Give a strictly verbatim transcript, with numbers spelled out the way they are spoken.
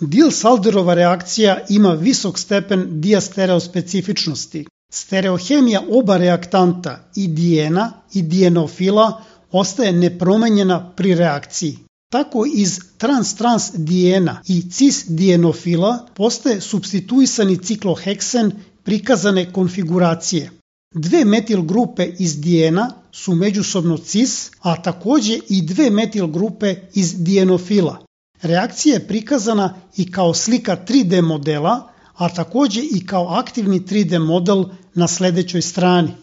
Diels-Alderova reakcija ima visok stepen diastereospecifičnosti. Stereohemija oba reaktanta i dijena i dijenofila ostaje nepromenjena pri reakciji. Tako iz trans-trans dijena i cis dijenofila postaje supstituisani cikloheksen prikazane konfiguracije. Dve metil grupe iz dijena su međusobno cis, a također i dve metil grupe iz dijenofila. Reakcija je prikazana i kao slika tri D modela, a također i kao aktivni tri D model na sljedećoj strani.